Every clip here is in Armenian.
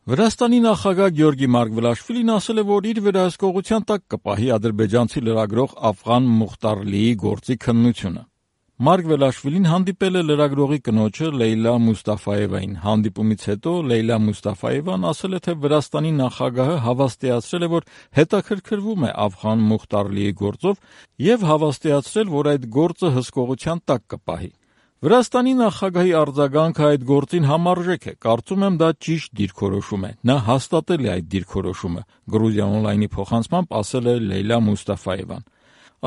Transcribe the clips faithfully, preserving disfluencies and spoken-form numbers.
Վրաստանի նախագահ Գյորգի Մարգվելաշվիլին ասել է, որ իր վերահսկողության տակ կպահի ադրբեջանցի լրագրող Աֆղան Մուխտարլիի գործի քննությունը։ Մարգվելաշվիլին հանդիպել է լրագրողի կնոջը Լեյլա Մուստաֆաևային։ Հանդիպումից հետո Լեյլա Մուստաֆաևան ասել է, թե Վրաստանի նախագահը հավաստիացրել է, որ հետաքրքրվում է Աֆղան Մուխտարլիի գործով եւ հավաստիացրել, որ այդ գործը հսկողության տակ կպահի։ Վրաստանի նախագահի արձագանքը այդ գործին համարժեք է, կարծում եմ դա ճիշտ դիրքորոշում է, նա հաստատել է այդ դիրքորոշումը, Գրուզիա օնլայնի փոխանցմամբ ասել է Լեյլա Մուստաֆաևան։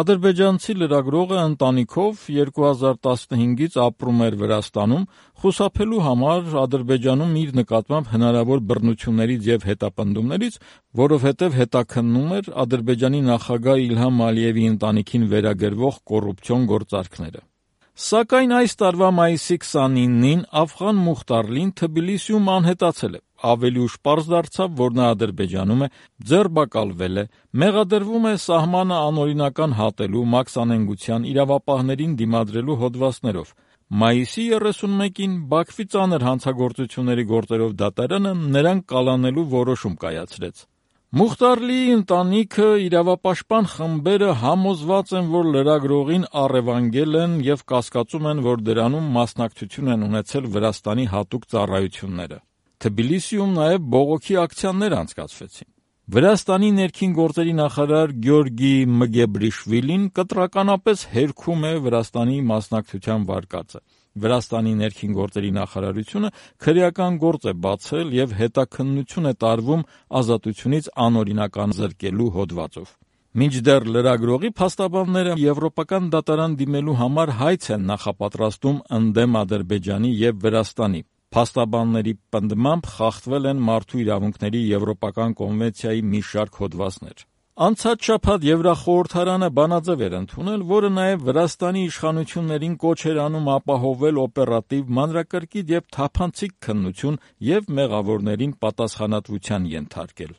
Ադրբեջանցի լրագրողը ընտանիքով երկու հազար տասնհինգից ապրում էր Վրաստանում, խուսափելու համար Ադրբեջանում իր նկատմամբ հնարավոր բռնություններից եւ հետապնդումներից, որովհետեւ հետաքննում էր Ադրբեջանի նախագահ Իլհամ Ալիևի ընտանիքին վերագրվող կոռուպցիոն գործարքները։ Սակայն այս տարվա մայիսի քսանինին Աֆղան Մուխտարլին Թբիլիսիում անհետացել է։ Ավելի ուշ պարզ դարձավ, որ նա Ադրբեջանում է, ձերբակալվել է, մեղադրվում է սահմանը անօրինական հատելու, մաքսանենգության, իրավապահներին դիմադրելու հոդվածներով։ Մայիսի երեսունմեկին Բաքվի ծանր հանցագործությունների գործերով դատարանը նրան կալանելու որոշում կայացրեց։ Մուխտարլիի ընտանիքը, իրավապաշտպան խմբերը համոզված են, որ լրագրողին առևանգել են եւ կասկածում են, որ դրանում մասնակցություն են ունեցել Վրաստանի հատուկ ծառայությունները։ Թբիլիսիում նաեւ բողոքի ակցիաներ անցկացվեցին։ Վրաստանի ներքին գործերի նախարար Գյորգի Մգեբրիշվիլին կտրականապես հերքում է Վրաստանի մասնակցության վարկածը։ Վրաստանի ներքին գործերի նախարարությունը քրեական գործ է բացել եւ հետաքննություն է տարվում ազատությունից անօրինական զրկելու հոդվածով։ Մինչդեռ լրագրողի փաստաբանները եվրոպական դատարան դիմելու համար հայց են նախապատրաստում ընդդեմ Ադրբեջանի եւ Վրաստանի։ Փաստաբանների պնդմամբ խախտվել են մարդու իրավունքների եվրոպական կոնվենցիայի մի շարք հոդվածներ։ Անցած շաբաթ Եվրախորհրդարանը բանաձև էր ընդունել, որը նաև Վրաստանի իշխանություններին կոչ էր անում ապահովել օպերատիվ, մանրակրկիտ եւ թափանցիկ քննություն եւ մեղավորներին պատասխանատվության ենթարկել։